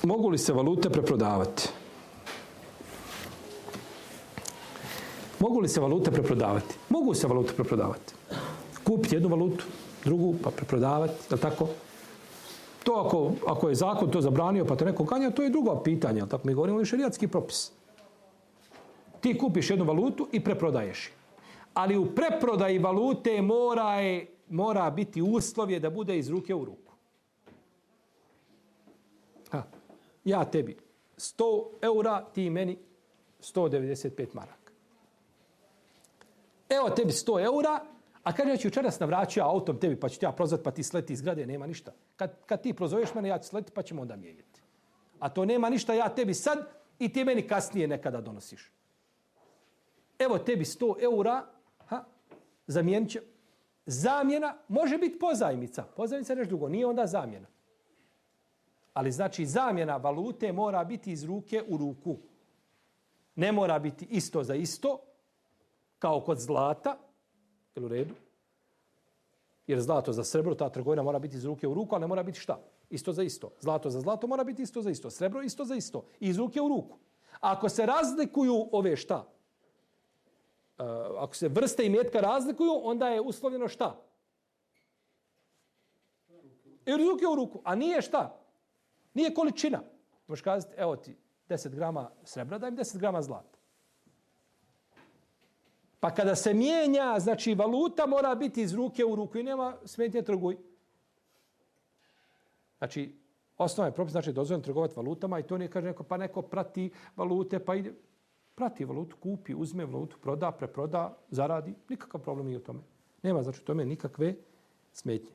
mogu li se valute preprodavati? Mogu li se valute preprodavati? Mogu se valute preprodavati. Kupiti jednu valutu, drugu, pa preprodavati, je li tako? To ako je zakon to zabranio, pa to neko ganja, to je drugo pitanje, je li tako? Mi govorimo o šerijatski propis. Ti kupiš jednu valutu i preprodaješ. Ali u preprodaji valute mora biti uslovje da bude iz ruke u ruku. Ja tebi 100 eura, ti meni 195 maraka. Evo tebi 100 eura, a kaže ja ću večeras navraćio autom tebi, pa ću ti ja prozvat, pa ti sleti iz zgrade, nema ništa. Kad ti prozoveš mene, ja ću sleti, pa ćemo onda mijenjati. A to nema ništa, ja tebi sad i ti meni kasnije nekada donosiš. Evo tebi 100 eura, zamijenit će. Zamjena može biti pozajmica. Pozajmica je nešto drugo, nije onda zamjena. Ali znači zamjena valute mora biti iz ruke u ruku. Ne mora biti isto za isto, kao kod zlata, jel u redu? Jer zlato za srebro, ta trgovina mora biti iz ruke u ruku, ali ne mora biti šta? Isto za isto. Zlato za zlato mora biti isto za isto. Srebro isto za isto. I iz ruke u ruku. Ako se razlikuju ove šta? Ako se vrste imetka razlikuju, onda je uslovljeno šta? Iz ruke u ruku. A nije šta? Nije količina. Možeš kazati, evo ti 10 grama srebra, daj mi 10 grama zlata. Pa kada se mijenja, znači valuta mora biti iz ruke u ruku i nema smetnje trguj. Znači, osnova je propis, znači dozvoljeno trgovati valutama i to nije kaže neko, pa neko prati valute, pa ide. Prati valutu, kupi, uzme valutu, proda, preproda, zaradi. Nikakav problem nije u tome. Nema znači u tome nikakve smetnje.